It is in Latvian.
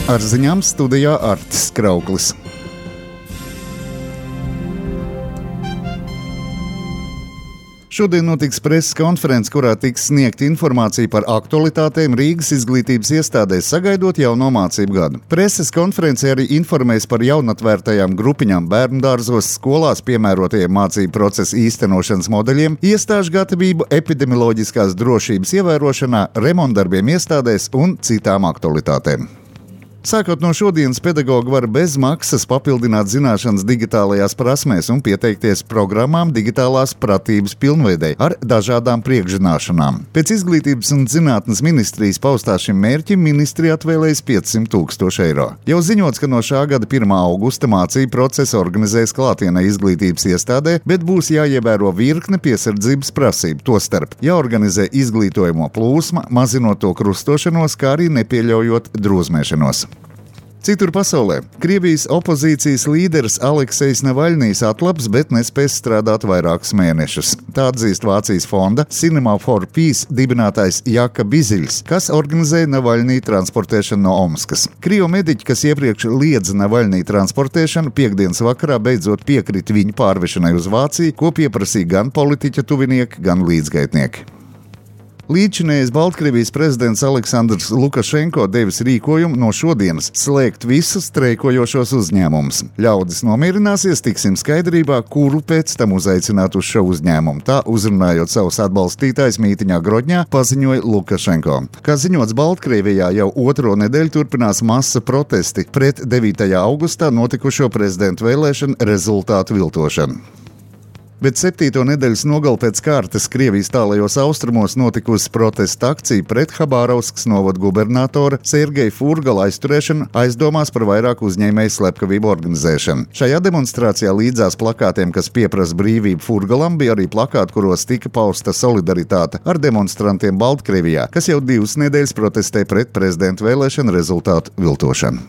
Ar ziņām studijā Artis Krauklis. Šodien notiks preses konference, kurā tiks sniegta informācija par aktualitātēm Rīgas izglītības iestādēs, sagaidot jauno mācību gadu. Preses konferencē arī informēs par jaunatvērtajām grupiņām bērndārzos, skolās piemērotajiem mācību procesa īstenošanas modeļiem, iestāžu gatavību epidemioloģiskās drošības ievērošanā, remontdarbiem iestādēs un citām aktualitātēm. Sākot no šodienas, pedagogi var bez maksas papildināt zināšanas digitālajās prasmēs un pieteikties programmām digitālās pratības pilnveidei ar dažādām priekšzināšanām. Pēc Izglītības un zinātnes ministrijas paustā šim mērķim ministrija atvēlējas 500 000 eiro. Jau ziņots, ka no šā gada 1. augusta mācību procesu organizēs klātienē izglītības iestādē, bet būs jāievēro virkne piesardzības prasību, tostarp jāorganizē izglītojamo plūsma, mazinot to krustošanos, kā arī nepieļaujot drūzmēšanos. Citur pasaulē Krievijas opozīcijas līderis Aleksejs Navaļnijs atlaps, bet nespēs strādāt vairākus mēnešus. Tā atzīst Vācijas fonda Cinema for Peace dibinātājs Jaka Biziļs, kas organizēja Navaļniju transportēšanu no Omskas. Krievu mediķi, kas iepriekš liedza Navaļniju transportēšanu, piektdienas vakarā beidzot piekrita viņu pārvešanai uz Vāciju, ko pieprasīja gan politiķa tuvinieki, gan līdzgaitnieki. Līdzinējais Baltkrievijas prezidents Aleksandrs Lukašenko devis rīkojumu no šodienas slēgt visus streikojošos uzņēmumus. Ļaudis nomierināsies, tiksim skaidrībā, kuru pēc tam uzaicināt uz šo uzņēmumu. Tā, uzrunājot savus atbalstītājus mītiņā Grodņā, paziņoja Lukašenko. Kā ziņots, Baltkrievijā jau otro nedēļu turpinās masa protesti pret 9. augustā notikušo prezidentu vēlēšanu rezultātu viltošanu. Bet 7. nedēļas nogali pēc kārtas Krievijas tālajos austrumos notikusi protesta akcija pret Habārovskas novada gubernatora Sergeja Furgala aizturēšanu aizdomās par vairāku uzņēmēju slepkavību organizēšanu. Šajā demonstrācijā līdzās plakātiem, kas pieprasa brīvību Furgalam, bija arī plakāti, kuros tika pausta solidaritāte ar demonstrantiem Baltkrievijā, kas jau 2 nedēļas protestē pret prezidentu vēlēšanu rezultātu viltošanu.